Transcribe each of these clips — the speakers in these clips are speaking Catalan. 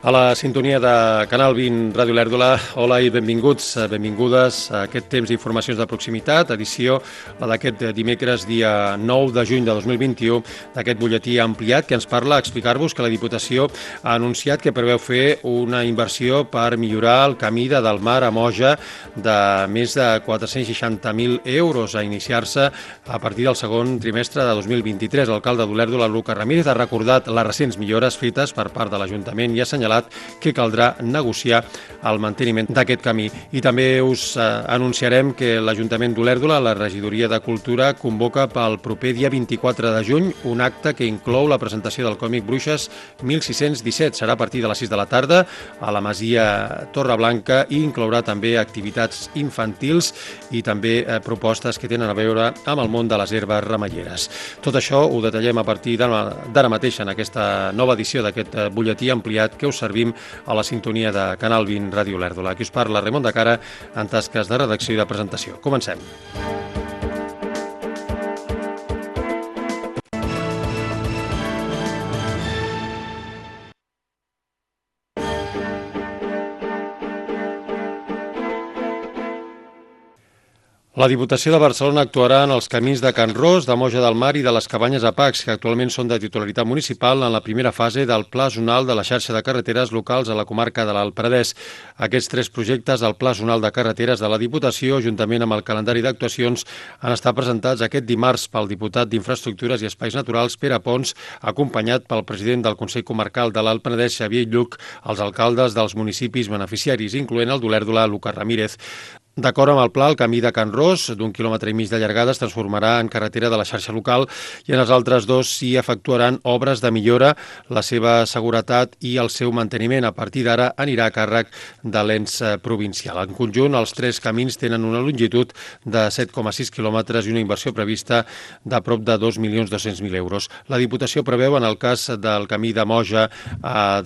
A la sintonia de Canal 20 Ràdio Lèrdula, hola i benvinguts, benvingudes a aquest temps d'informacions de proximitat, edició d'aquest dimecres, dia 9 de juny de 2021, d'aquest butlletí ampliat que ens parla a explicar-vos que la Diputació ha anunciat que preveu fer una inversió per millorar el camí de Delmar a Moja de més de 460.000 euros a iniciar-se a partir del segon trimestre de 2023. L'alcalde d'Olèrdola, Lucas Ramírez, ha recordat les recents millores fetes per part de l'Ajuntament i ha assenyalat que caldrà negociar el manteniment d'aquest camí. I també us anunciarem que l'Ajuntament d'Olèrdola, la Regidoria de Cultura, convoca pel proper dia 24 de juny un acte que inclou la presentació del còmic Bruixes 1617. Serà a partir de les 6 de la tarda a la Masia Torreblanca i inclourà també activitats infantils i també propostes que tenen a veure amb el món de les herbes remeieres. Tot això ho detallem a partir d'ara mateix en aquesta nova edició d'aquest butlletí ampliat que us servim a la sintonia de Canal 20 Ràdio Lèrdula. Aquí us parla Ramon de Cara en tasques de redacció i de presentació. Comencem. La Diputació de Barcelona actuarà en els camins de Can Ros, de Moja del Mar i de les Cabanyes a Pacs, que actualment són de titularitat municipal en la primera fase del Pla Zonal de la xarxa de carreteres locals a la comarca de l'Alt Penedès. Aquests tres projectes del Pla Zonal de carreteres de la Diputació, juntament amb el calendari d'actuacions, han estat presentats aquest dimarts pel diputat d'Infraestructures i Espais Naturals, Pere Pons, acompanyat pel president del Consell Comarcal de l'Alt Penedès, Xavier Lluc, els alcaldes dels municipis beneficiaris, incloent el d'Olèrdola, Lucas Ramírez. D'acord amb el pla, el camí de Can Ros, d'1,5 quilòmetre de llargada, es transformarà en carretera de la xarxa local i en els altres dos s'hi efectuaran obres de millora, la seva seguretat i el seu manteniment. A partir d'ara anirà a càrrec de l'ens provincial. En conjunt, els tres camins tenen una longitud de 7,6 quilòmetres i una inversió prevista de prop de 2.200.000 euros. La Diputació preveu, en el cas del camí de Moja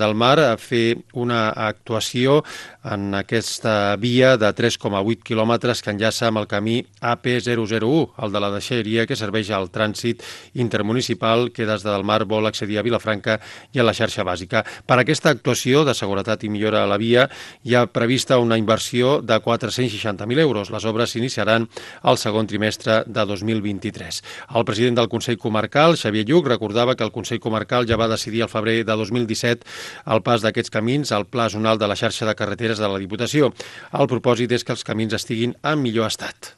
del Mar, fer una actuació en aquesta via de 3,8 quilòmetres que enllaça amb el camí AP001, el de la deixalleria que serveix al trànsit intermunicipal que des de Delmar vol accedir a Vilafranca i a la xarxa bàsica. Per aquesta actuació de seguretat i millora a la via hi ha prevista una inversió de 460.000 euros. Les obres s'iniciaran al segon trimestre de 2023. El president del Consell Comarcal, Xavier Lluc, recordava que el Consell Comarcal ja va decidir al febrer de 2017 el pas d'aquests camins al Pla Zonal de la xarxa de carreteres de la Diputació. El propòsit és que els camins estiguin en millor estat.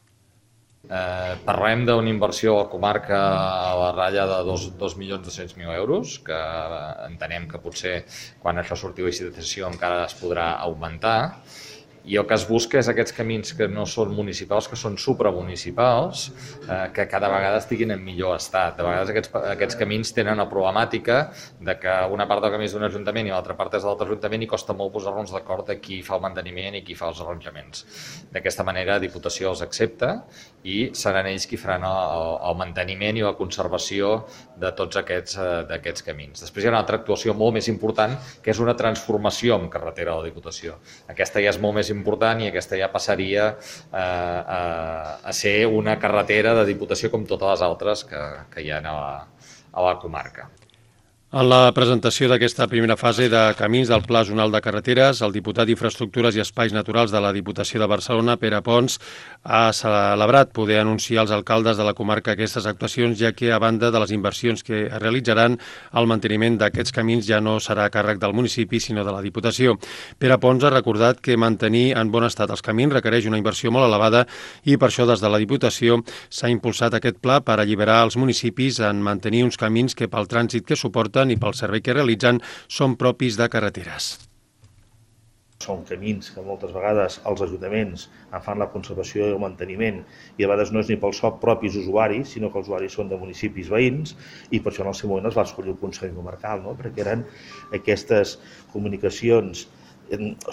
Parlem d'una inversió a la comarca a la ratlla de 2.200.000 euros, que entenem que potser quan això surti a licitació encara es podrà augmentar. I el que es busca és aquests camins que no són municipals, que són supramunicipals, que cada vegada estiguin en millor estat. De vegades aquests camins tenen la problemàtica de que una part del camí és d'un ajuntament i l'altra part és de l'altre ajuntament i costa molt posar-nos d'acord de qui fa el manteniment i qui fa els arranjaments. D'aquesta manera, la Diputació els accepta i seran ells qui faran el manteniment i la conservació de tots aquests camins. Després hi ha una altra actuació molt més important, que és una transformació en carretera de la Diputació. Aquesta ja és molt més important i aquesta ja passaria a ser una carretera de Diputació com totes les altres que hi ha a la comarca. En la presentació d'aquesta primera fase de camins del Pla Zonal de Carreteres, el diputat d'Infraestructures i Espais Naturals de la Diputació de Barcelona, Pere Pons, ha celebrat poder anunciar als alcaldes de la comarca aquestes actuacions, ja que, a banda de les inversions que es realitzaran, el manteniment d'aquests camins ja no serà a càrrec del municipi, sinó de la Diputació. Pere Pons ha recordat que mantenir en bon estat els camins requereix una inversió molt elevada i per això des de la Diputació s'ha impulsat aquest pla per alliberar els municipis en mantenir uns camins que pel trànsit que suporten i pel servei que realitzen són propis de carreteres. Són camins que moltes vegades els ajuntaments en fan la conservació i el manteniment i a vegades no és ni pels propis usuaris, sinó que els usuaris són de municipis veïns i per això en el seu moment es va escollir el Consell Comarcal, no? Perquè eren aquestes comunicacions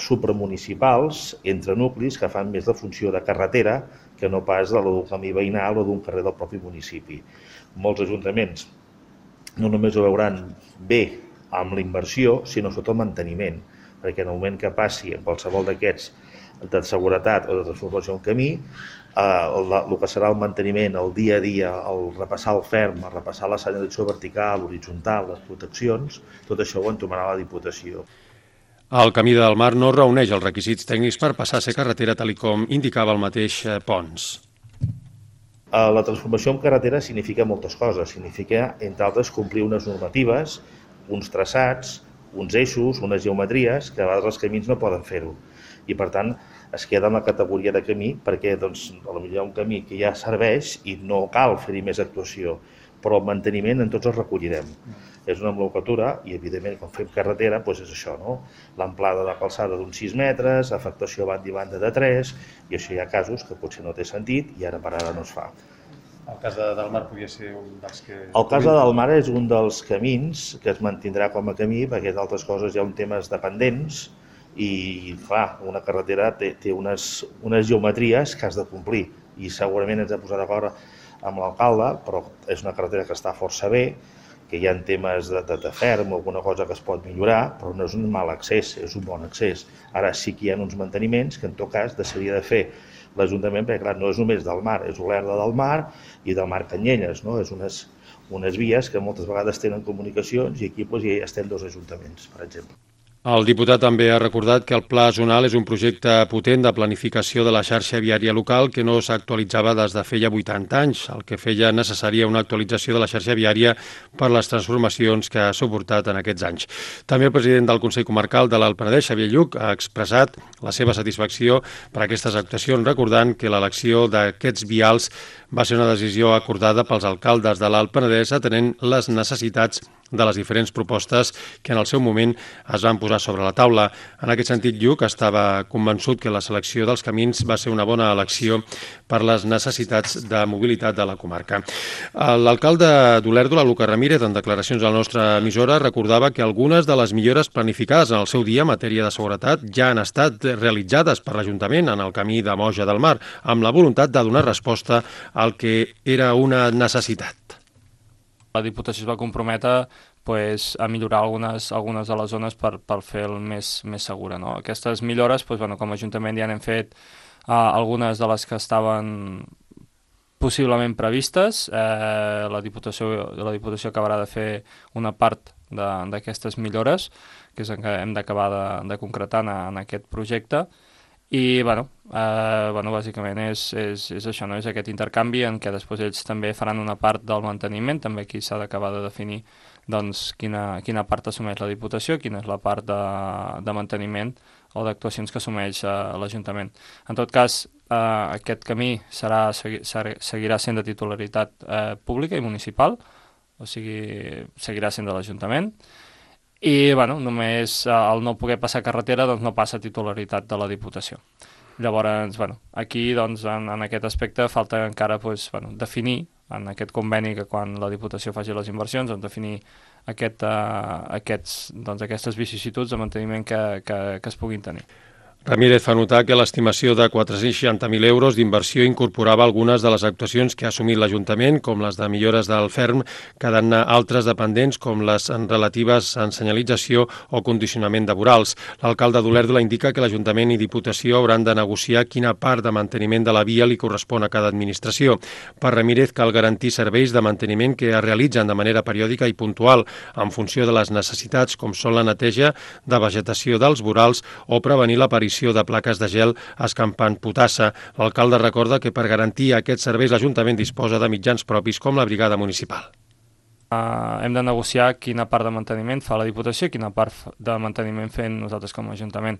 supramunicipals entre nuclis que fan més de funció de carretera que no pas d'un camí veïnal o d'un carrer del propi municipi. Molts ajuntaments no només ho veuran bé amb la inversió, sinó sobretot el manteniment, perquè en el moment que passi en qualsevol d'aquests de seguretat o de transformació en camí, el que serà el manteniment, el dia a dia, el repassar el ferm, el repassar la senyalització vertical, horitzontal, les proteccions, tot això ho entomarà la Diputació. El Camí del Mar no reuneix els requisits tècnics per passar a ser carretera, tal com indicava el mateix Pons. La transformació en carretera significa moltes coses. Significa, entre altres, complir unes normatives, uns traçats, uns eixos, unes geometries, que a vegades els camins no poden fer-ho. I, per tant, es queda en la categoria de camí perquè potser hi ha un camí que ja serveix i no cal fer-hi més actuació, però el manteniment en tots els recollirem. És una nomenclatura i, evidentment, quan fem carretera, doncs és això, no? L'amplada de calçada d'uns 6 metres, afectació a banda i banda de 3, i això hi ha casos que potser no té sentit i ara per ara no es fa. El cas del Mar podria ser un dels que... El cas del Mar és un dels camins que es mantindrà com a camí, perquè d'altres coses hi ha un temes dependents i, clar, una carretera té unes geometries que has de complir i segurament ens hem posat d'acord amb l'alcalde, però és una carretera que està força bé, que hi ha temes de ferm o alguna cosa que es pot millorar, però no és un mal accés, és un bon accés. Ara sí que hi ha uns manteniments que en tot cas s'hauria de fer l'Ajuntament, perquè clar, no és només del Mar, és Olèrdola del Mar i del Mar Canyelles, no? És unes vies que moltes vegades tenen comunicacions i aquí hi estem dos ajuntaments, per exemple. El diputat també ha recordat que el Pla Zonal és un projecte potent de planificació de la xarxa viària local que no s'actualitzava des de feia 80 anys, el que feia necessària una actualització de la xarxa viària per les transformacions que ha suportat en aquests anys. També el president del Consell Comarcal de l'Alt Penedès, Xavier Lluch, ha expressat la seva satisfacció per aquestes actuacions, recordant que l'elecció d'aquests vials va ser una decisió acordada pels alcaldes de l'Alt Penedès atenent les necessitats de les diferents propostes que en el seu moment es van posar sobre la taula. En aquest sentit, Lluch estava convençut que la selecció dels camins va ser una bona elecció per les necessitats de mobilitat de la comarca. L'alcalde d'Olèrdola, Lucas Ramírez, en declaracions a la nostra emissora, recordava que algunes de les millores planificades en el seu dia en matèria de seguretat ja han estat realitzades per l'Ajuntament en el camí de Moja del Mar, amb la voluntat de donar resposta al que era una necessitat. La Diputació es va comprometre a millorar algunes de les zones per fer el més segura. No? Aquestes millores, com a Ajuntament ja n'hem fet algunes de les que estaven possiblement previstes. La Diputació acabarà de fer una part d'aquestes millores, que és el que hem d'acabar de concretar en aquest projecte. I, bàsicament és això, no? És aquest intercanvi en què després ells també faran una part del manteniment, també aquí s'ha d'acabar de definir doncs, quina part assumeix la Diputació, quina és la part de manteniment o d'actuacions que assumeix l'Ajuntament. En tot cas, aquest camí seguirà sent de titularitat pública i municipal, o sigui, seguirà sent de l'Ajuntament, i només el no poder passar carretera doncs no passa a titularitat de la Diputació. Llavors, aquí en aquest aspecte falta encara definir en aquest conveni que quan la Diputació faci les inversions, definir aquestes vicissituds de manteniment que es puguin tenir. Ramírez fa notar que l'estimació de 460.000 euros d'inversió incorporava algunes de les actuacions que ha assumit l'Ajuntament, com les de millores del ferm, quedant altres dependents, com les relatives en senyalització o condicionament de vorals. L'alcalde d'Olèrdola indica que l'Ajuntament i Diputació hauran de negociar quina part de manteniment de la via li correspon a cada administració. Per Ramírez cal garantir serveis de manteniment que es realitzen de manera periòdica i puntual, en funció de les necessitats, com són la neteja de vegetació dels vorals o prevenir l'aparició de plaques de gel escampant potassa. L'alcalde recorda que per garantir aquests serveis l'Ajuntament disposa de mitjans propis com la brigada municipal. Hem de negociar quina part de manteniment fa la Diputació i quina part de manteniment fem nosaltres com a Ajuntament.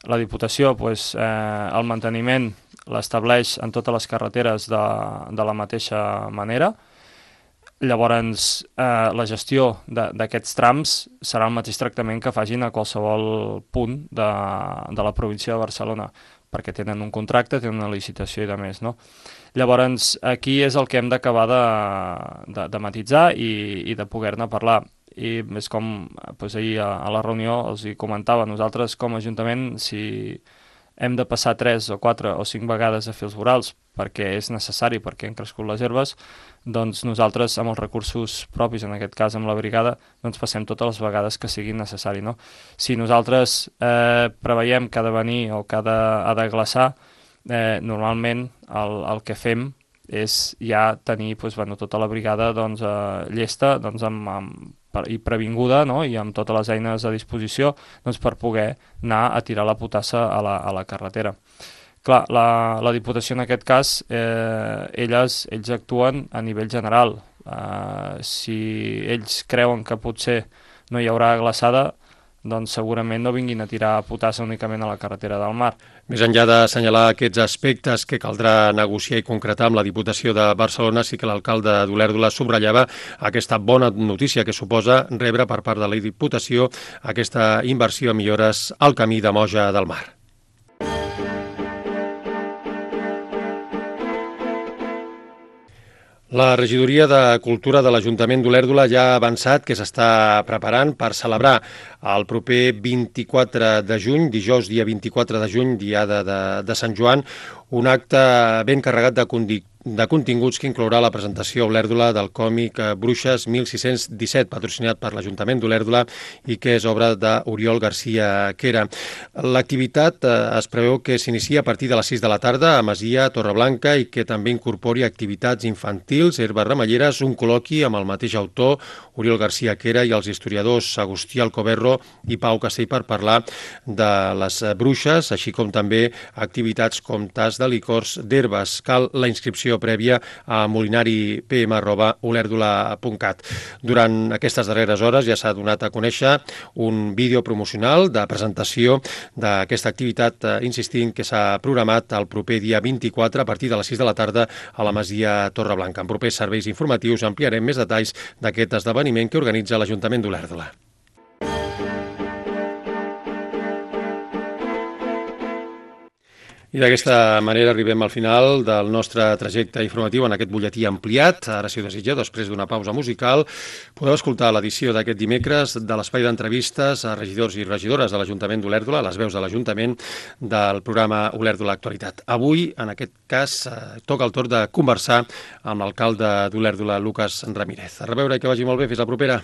La Diputació, el manteniment l'estableix en totes les carreteres de la mateixa manera. Llavors, la gestió d'aquests trams serà el mateix tractament que facin a qualsevol punt de la província de Barcelona, perquè tenen un contracte, tenen una licitació i de més, no? Llavors, aquí és el que hem d'acabar de matitzar i de poder-ne parlar. I és com ahir a la reunió els hi comentava, nosaltres com a Ajuntament, si hem de passar 3 o 4 o 5 vegades a fer els vorals perquè és necessari, perquè han crescut les herbes, doncs nosaltres amb els recursos propis, en aquest cas amb la brigada, doncs passem totes les vegades que sigui necessari, no? Si nosaltres preveiem que ha de venir o que ha de glaçar, normalment el que fem és ja tenir tota la brigada llesta amb i previnguda, no? I amb totes les eines a disposició, doncs, per poder anar a tirar la potassa a la carretera. Clar, la Diputació en aquest cas, ells actuen a nivell general. Si ells creuen que potser no hi haurà glaçada, doncs segurament no vinguin a tirar potassa únicament a la carretera del Mar. Més enllà d'assenyalar aquests aspectes que caldrà negociar i concretar amb la Diputació de Barcelona, sí que l'alcalde d'Olèrdola subratllava aquesta bona notícia que suposa rebre per part de la Diputació aquesta inversió a millores al camí de Moja del Mar. La regidoria de Cultura de l'Ajuntament d'Olèrdola ja ha avançat que s'està preparant per celebrar el proper 24 de juny, dijous dia 24 de juny, diada de Sant Joan, un acte ben carregat de continguts que inclourà la presentació a Olèrdola del còmic Bruixes 1617, patrocinat per l'Ajuntament d'Olèrdola i que és obra d'Oriol García Quera. L'activitat es preveu que s'inicia a partir de les 6 de la tarda a Masia Torreblanca i que també incorpori activitats infantils, herbes remelleres, un col·loqui amb el mateix autor, Oriol García Quera, i els historiadors Agustí Alcoberro i Pau Castell per parlar de les bruixes, així com també activitats com tas de licors d'herbes. Cal la inscripció prèvia a molinaripm@olèrdola.cat. Durant aquestes darreres hores ja s'ha donat a conèixer un vídeo promocional de presentació d'aquesta activitat, insistint que s'ha programat el proper dia 24 a partir de les 6 de la tarda a la Masia Torreblanca. En propers serveis informatius ampliarem més detalls d'aquest esdeveniment que organitza l'Ajuntament d'Olèrdola. I d'aquesta manera arribem al final del nostre trajecte informatiu en aquest butlletí ampliat. Ara, si ho desitgeu, després d'una pausa musical, podeu escoltar l'edició d'aquest dimecres de l'espai d'entrevistes a regidors i regidores de l'Ajuntament d'Olèrdola, les veus de l'Ajuntament, del programa Olèrdola Actualitat. Avui, en aquest cas, toca el torn de conversar amb l'alcalde d'Olèrdola, Lucas Ramírez. A reveure i que vagi molt bé. Fins la propera.